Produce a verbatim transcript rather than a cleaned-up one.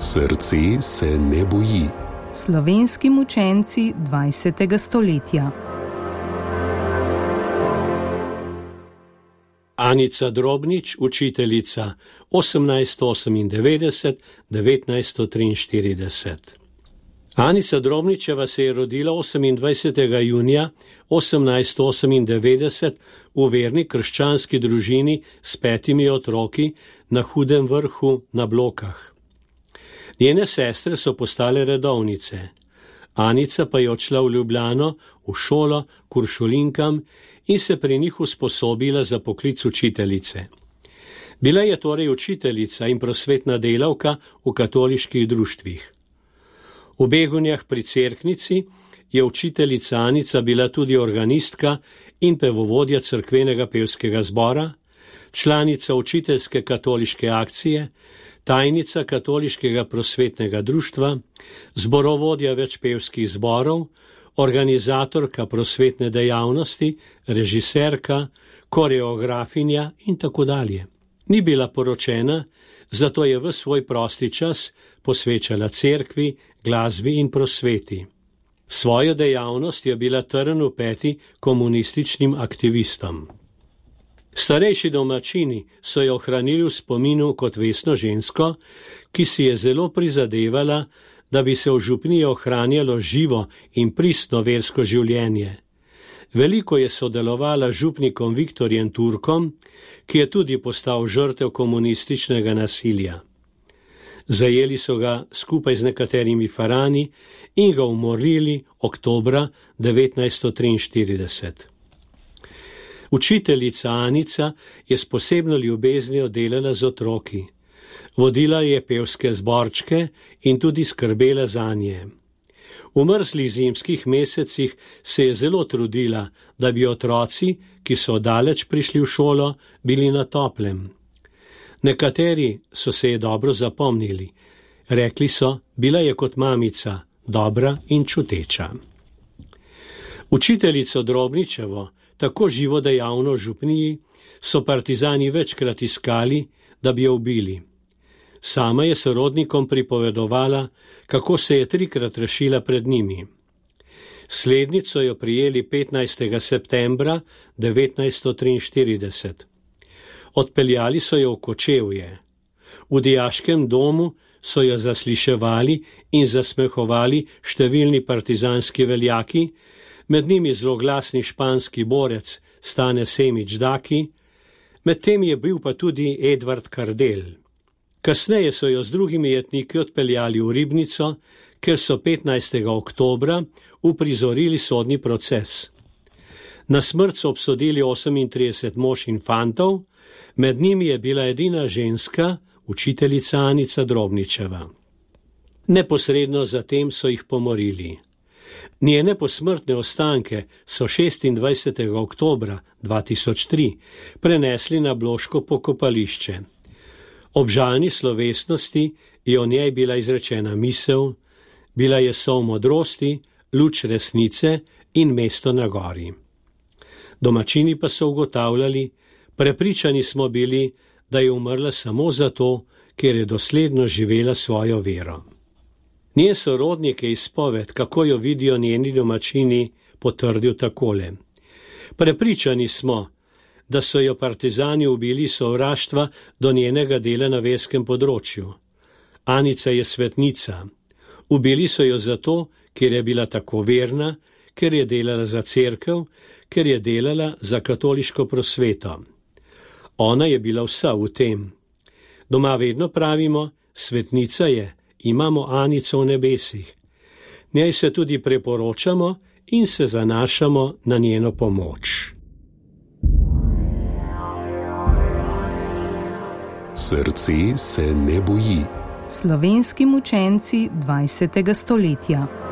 Srce se ne boji. Slovenski mučenci dvajsetega stoletja. Anica Drobnič, učiteljica, osemnajststo osemindevetdeset do devetnajststo triinštirideset. Anica Drobničeva se je rodila osemindvajsetega junija osemnajststo osemindevetdeset v verni krščanski družini s petimi otroki na Hudem Vrhu na Blokah. Njene sestre so postale redovnice. Anica pa je odšla v Ljubljano, v šolo k uršulinkam in se pri njih usposobila za poklic učiteljice. Bila je torej učiteljica in prosvetna delavka v katoliških društvih. V Begunjah pri Cerknici je učiteljica Anica bila tudi organistka in pevovodja cerkvenega pevskega zbora, članica učiteljske katoliške akcije, tajnica katoliškega prosvetnega društva, zborovodja več pevskih zborov, organizatorka prosvetne dejavnosti, režiserka, koreografinja in tako dalje. Ni bila poročena, zato je v svoj prosti čas posvečala cerkvi, glasbi in prosveti. Svojo dejavnost je bila trn v peti komunističnim aktivistom. Starejši domačini so jo ohranili v spominu kot vestno žensko, ki si je zelo prizadevala, da bi se v župniji ohranjalo živo in pristno versko življenje. Veliko je sodelovala z župnikom Viktorjem Turkom, ki je tudi postal žrtev komunističnega nasilja. Zajeli so ga skupaj z nekaterimi farani in ga umorili oktobra devetnajststo triinštirideset. Učiteljica Anica je s posebno ljubeznijo delala z otroki. Vodila je pevske zborčke in tudi skrbela zanje. V mrzlih zimskih mesecih se je zelo trudila, da bi otroci, ki so daleč prišli v šolo, bili na toplem. Nekateri so se je dobro zapomnili. Rekli so, bila je kot mamica, dobra in čuteča. Učiteljico Drobničevo, tako živo dejavno v župniji, so partizani večkrat iskali, da bi jo ubili. Sama je sorodnikom pripovedovala, kako se je trikrat rešila pred njimi. Slednico jo prijeli petnajstega septembra devetnajststo triinštirideset. Odpeljali so jo v Kočevje. V dijaškem domu so jo zasliševali in zasmehovali številni partizanski veljaki, med njimi zloglasni španski borec Stane Semič Daki, medtem je bil pa tudi Edvard Kardel. Kasneje so jo z drugimi jetniki odpeljali v Ribnico, ker so petnajstega oktobra uprizorili sodni proces. Na smrt so obsodili osemintrideset mož in fantov, med njimi je bila edina ženska, učiteljica Anica Drobničeva. Neposredno zatem so jih pomorili. Njene posmrtne ostanke so šestindvajsetega oktobra dva tisoč tri prenesli na Bloško pokopališče. Ob žalni slovesnosti je o njej bila izrečena misel, bila je sol modrosti, luč resnice in mesto na gori. Domačini pa so ugotavljali, prepričani smo bili, da je umrla samo zato, ker je dosledno živela svojo vero. Njen sorodnik je izpoved, kako jo vidijo njeni domačini, potrdil takole. Prepričani smo, da so jo partizani ubili sovraštva do njenega dela na verskem področju. Anica je svetnica. Ubili so jo zato, ker je bila tako verna, ker je delala za cerkev, ker je delala za katoliško prosveto. Ona je bila vsa v tem. Doma vedno pravimo, svetnica je, imamo Anico v nebesih. Njej se tudi preporočamo in se zanašamo na njeno pomoč. Srce se ne boji. Slovenski mučenci dvajsetega stoletja.